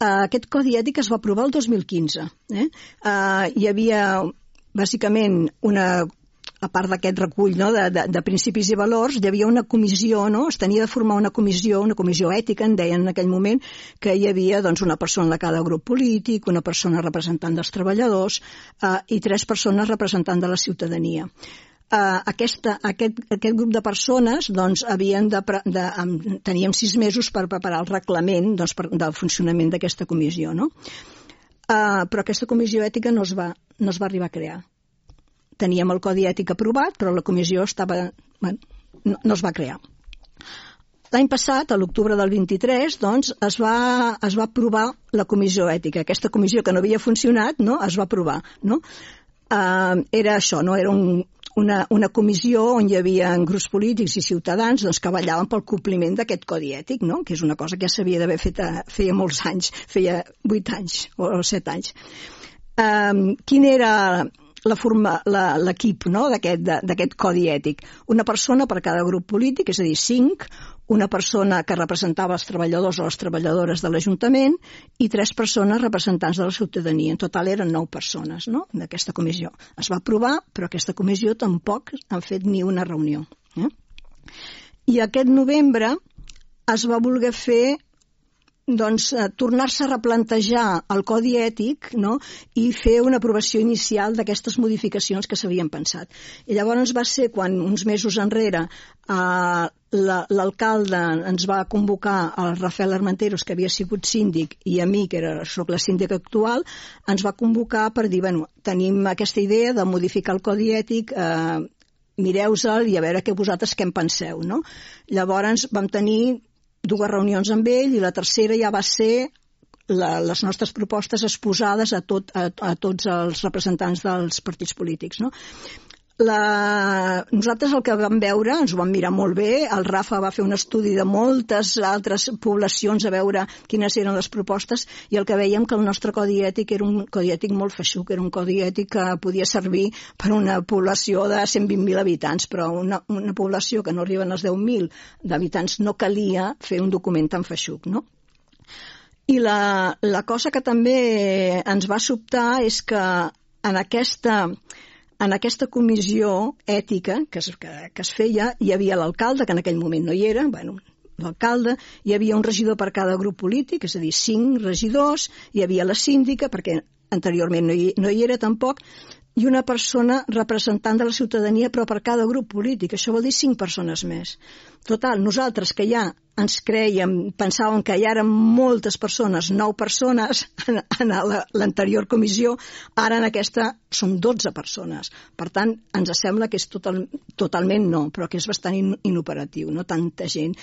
Aquest codi ètic es va aprovar el 2015. Hi havia, bàsicament, a part d'aquest recull de principis i valors, hi havia una comissió, es tenia de formar una comissió ètica, en deien en aquell moment, que hi havia una persona de cada grup polític, una persona representant dels treballadors i 3 persones representant de la ciutadania. Aquest grup de persones teníem 6 mesos per preparar el reglament del funcionament d'aquesta comissió, no? Però aquesta comissió ètica no es va arribar a crear. Teníem el codi ètic aprovat, però la comissió no es va crear. L'any passat, a l'octubre del 23, es va aprovar la comissió ètica. Aquesta comissió que no havia funcionat, es va aprovar. Era això, era una comissió on hi havia grups polítics i ciutadans que vetllaven pel compliment d'aquest codi ètic, que és una cosa que ja s'havia d'haver fet feia molts anys, feia 8 anys o 7 anys. Quin era l'equip d'aquest codi ètic? Una persona per cada grup polític, és a dir, 5, una persona que representava els treballadors o les treballadores de l'Ajuntament i 3 persones representants de la ciutadania. En total eren 9 persones d'aquesta comissió. Es va aprovar, però aquesta comissió tampoc han fet ni una reunió. I aquest novembre es va voler fer tornar-se a replantejar el codi ètic i fer una aprovació inicial d'aquestes modificacions que s'havien pensat. I llavors va ser quan, uns mesos enrere, l'alcalde ens va convocar, el Rafael Armenteros, que havia sigut síndic, i a mi, que soc la síndica actual, ens va convocar per dir, tenim aquesta idea de modificar el codi ètic, mireu-se'l i a veure vosaltres què en penseu. Llavors vam tenir 2 reunions amb ell i la tercera ja va ser les nostres propostes exposades a tots els representants dels partits polítics. Nosaltres el que vam veure, ens ho vam mirar molt bé, el Rafa va fer un estudi de moltes altres poblacions a veure quines eren les propostes i el que veiem que el nostre codi ètic era un codi ètic molt feixuc, era un codi ètic que podia servir per una població de 120.000 habitants, però una població que no arriben als 10.000 d'habitants no calia fer un document tan feixuc, I la cosa que també ens va sobtar és que en aquesta comissió ètica que es feia, hi havia l'alcalde, que en aquell moment no hi era, l'alcalde, hi havia un regidor per cada grup polític, és a dir, 5 regidors, hi havia la síndica, perquè anteriorment no hi era tampoc, i una persona representant de la ciutadania, però per cada grup polític. Això vol dir 5 persones més. Total, nosaltres que ja ens crèiem, pensàvem que ja eren moltes persones, 9 persones en l'anterior comissió, ara en aquesta som 12 persones. Per tant, ens sembla que és totalment no, però que és bastant inoperatiu, no tanta gent.